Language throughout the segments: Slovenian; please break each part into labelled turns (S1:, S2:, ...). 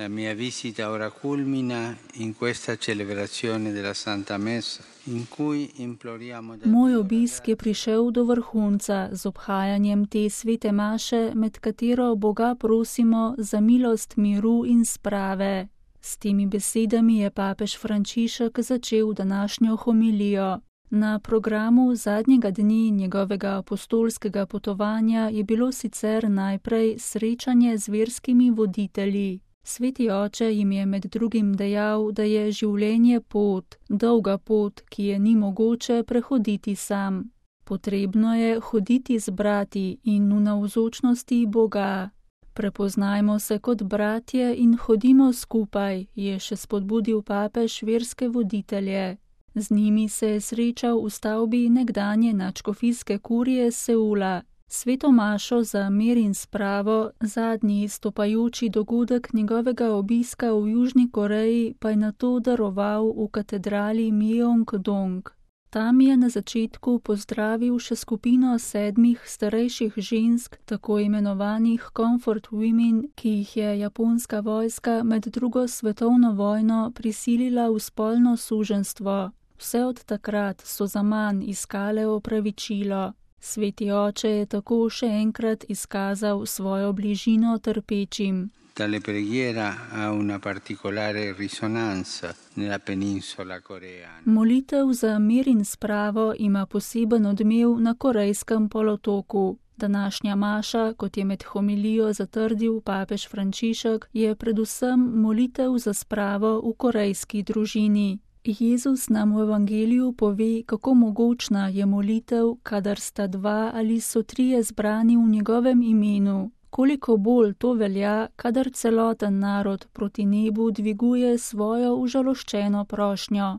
S1: La mia visita ora culmina in questa celebrazione della Santa Messa, in cui imploriamo da
S2: Moj
S1: Dio
S2: obisk je prišel do vrhunca z obhajanjem te svete maše, med katero Boga prosimo za milost miru in sprave. S temi besedami je papež Frančišek začel današnjo homilijo. Na programu zadnjega dni njegovega apostolskega potovanja je bilo sicer najprej srečanje z verskimi voditelji. Sveti oče jim je med drugim dejal, da je življenje pot, dolga pot, ki je ni mogoče prehoditi sam. Potrebno je hoditi z brati in v navzočnosti Boga. Prepoznajmo se kot bratje in hodimo skupaj, je še spodbudil papež verske voditelje. Z njimi se je srečal v stavbi nekdanje nadškofijske kurije Seula. Sveto mašo za mir in spravo, zadnji stopajoči dogodek njegovega obiska v Južni Koreji, pa je nato daroval v katedrali Myeong-dong. Tam je na začetku pozdravil še skupino 7 starejših žensk, tako imenovanih Comfort Women, ki jih je japonska vojska med drugo svetovno vojno prisilila v spolno suženjstvo. Vse od takrat so zaman iskale opravičilo. Sveti oče je tako še enkrat izkazal svojo bližino trpečim.
S1: Tale preghiera ha una particolare risonanza nella penisola coreana.
S2: Molitev za mir in spravo ima poseben odmev na Korejskem polotoku. Današnja maša, kot je med homilijo zatrdil papež Frančišek, je predvsem molitev za spravo v korejski družini. Jezus nam v evangeliju pove, kako mogočna je molitev, kadar sta 2 ali so 3 zbrani v njegovem imenu. Koliko bolj to velja, kadar celoten narod proti nebu dviguje svojo užaloščeno prošnjo.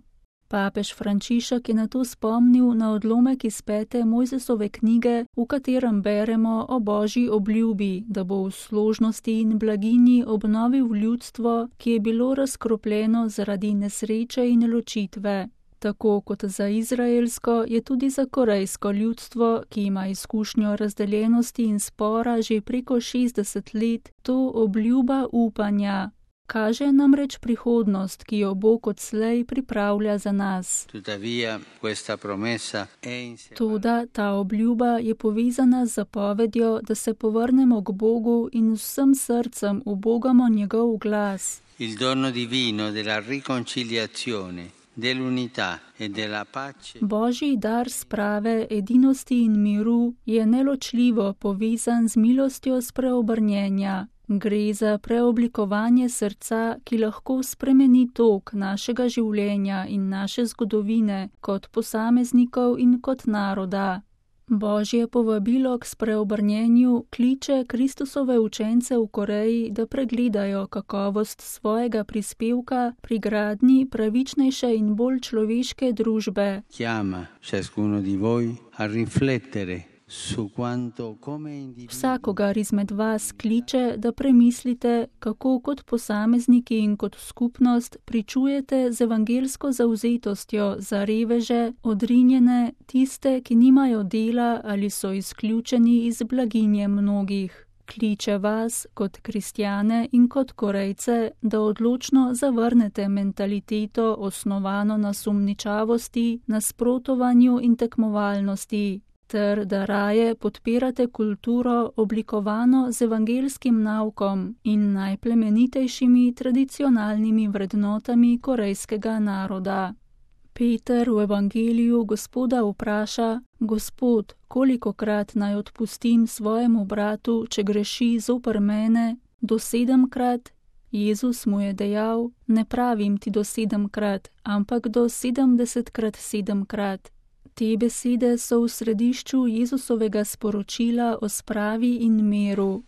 S2: Papež Frančišek je nato spomnil na odlomek iz 5. Mojzesove knjige, v katerem beremo o Božji obljubi, da bo v složnosti in blaginji obnovil ljudstvo, ki je bilo razkropljeno zaradi nesreče in ločitve. Tako kot za izraelsko, je tudi za korejsko ljudstvo, ki ima izkušnjo razdeljenosti in spora že preko 60 let, to obljuba upanja. Kaže namreč prihodnost, ki jo Bog odslej pripravlja za nas. Toda ta obljuba je povezana z zapovedjo, da se povrnemo k Bogu in vsem srcem ubogamo njegov glas.
S1: Il dono divino della riconciliazione, dell'unità e della pace.
S2: Božji dar sprave, edinosti in miru je neločljivo povezan z milostjo spreobrnjenja. Gre za preoblikovanje srca, ki lahko spremeni tok našega življenja in naše zgodovine kot posameznikov in kot naroda. Božje povabilo k spreobrnjenju kliče Kristusove učence v Koreji, da pregledajo kakovost svojega prispevka pri gradnji pravičnejše in bolj človeške družbe.
S1: Chiama ciascuno di voi a riflettere.
S2: Vsakogar izmed vas kliče, da premislite, kako kot posamezniki in kot skupnost pričujete z evangelsko zavzetostjo za reveže, odrinjene, tiste, ki nimajo dela ali so izključeni iz blaginje mnogih. Kliče vas kot kristjane in kot Korejce, da odločno zavrnete mentaliteto osnovano na sumničavosti, nasprotovanju in tekmovalnosti, ter da raje podpirate kulturo oblikovano z evangelskim naukom in najplemenitejšimi tradicionalnimi vrednotami korejskega naroda. Peter v evangeliju Gospoda vpraša: Gospod, kolikokrat naj odpustim svojemu bratu, če greši zoper mene? Do 7-krat? Jezus mu je dejal: Ne pravim ti do 7-krat, ampak do 70-krat 7-krat. Te besede so v središču Jezusovega sporočila o spravi in miru.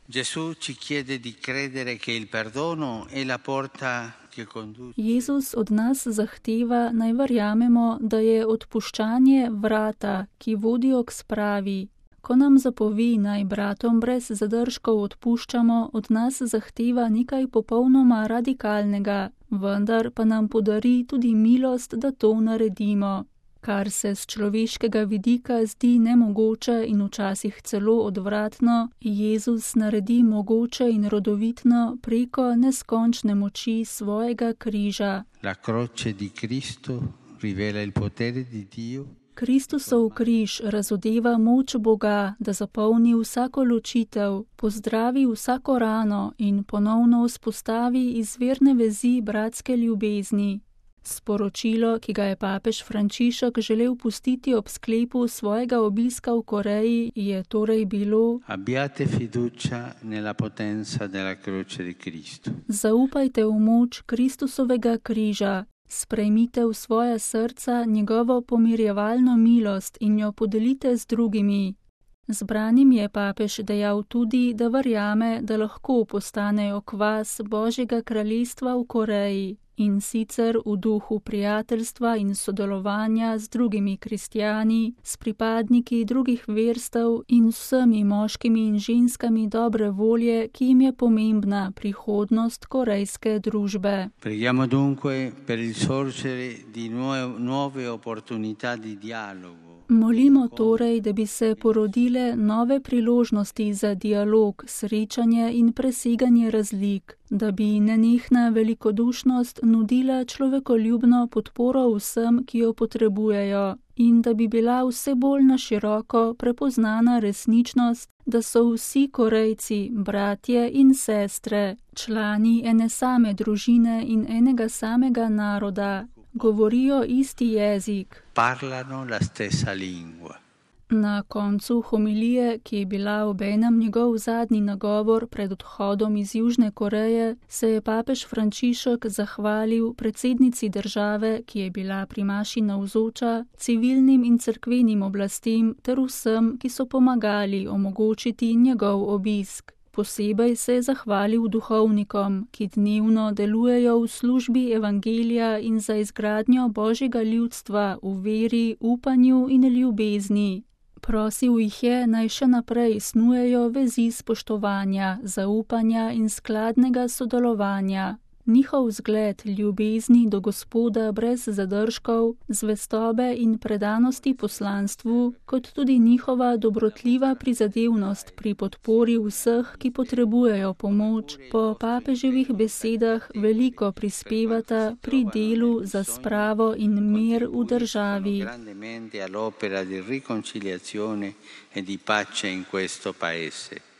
S2: Jezus od nas zahteva, naj verjamemo, da je odpuščanje vrata, ki vodijo k spravi. Ko nam zapovi, naj bratom brez zadržkov odpuščamo, od nas zahteva nekaj popolnoma radikalnega, vendar pa nam podari tudi milost, da to naredimo. Kar se z človeškega vidika zdi nemogoče in včasih celo odvratno, Jezus naredi mogoče in rodovitno preko neskončne moči svojega križa.
S1: La croce di Cristo rivela il potere di Dio.
S2: Kristusov križ razodeva moč Boga, da zapolni vsako ločitev, pozdravi vsako rano in ponovno vzpostavi izvirne vezi bratske ljubezni. Sporočilo, ki ga je papež Frančišek želel pustiti ob sklepu svojega obiska v Koreji, je torej bilo:
S1: Abbiate fiducia nella potenza della croce di Cristo.
S2: Zaupajte v moč Kristusovega križa, sprejmite v svoja srca njegovo pomirjevalno milost in jo podelite z drugimi. Zbranim je papež dejal tudi, da verjame, da lahko postanejo kvas Božjega kraljestva v Koreji, in sicer v duhu prijateljstva in sodelovanja z drugimi kristjani, s pripadniki drugih verstev in vsemi moškimi in ženskami dobre volje, ki jim je pomembna prihodnost korejske družbe.
S1: Preghiamo dunque per il sorgere di nuove opportunità di dialogo.
S2: Molimo torej, da bi se porodile nove priložnosti za dialog, srečanje in preseganje razlik, da bi nenehna velikodušnost nudila človekoljubno podporo vsem, ki jo potrebujejo, in da bi bila vse bolj na široko prepoznana resničnost, da so vsi Korejci bratje in sestre, člani ene same družine in enega samega naroda. Govorijo isti jezik.
S1: Parlano la stessa lingua.
S2: Na koncu homilije, ki je bila obenem njegov zadnji nagovor pred odhodom iz Južne Koreje, se je papež Frančišek zahvalil predsednici države, ki je bila pri maši navzoča, civilnim in cerkvenim oblastem ter vsem, ki so pomagali omogočiti njegov obisk. Posebej se je zahvalil duhovnikom, ki dnevno delujejo v službi evangelija in za izgradnjo Božjega ljudstva v veri, upanju in ljubezni. Prosil jih je, naj še naprej snujejo vezi spoštovanja, zaupanja in skladnega sodelovanja. Njihov zgled ljubezni do Gospoda brez zadržkov, zvestobe in predanosti poslanstvu, kot tudi njihova dobrotljiva prizadevnost pri podpori vseh, ki potrebujejo pomoč, po papeževih besedah veliko prispevata pri delu za spravo in mir v državi.
S1: Grandemente all'opera di riconciliazione e di pace in questo paese.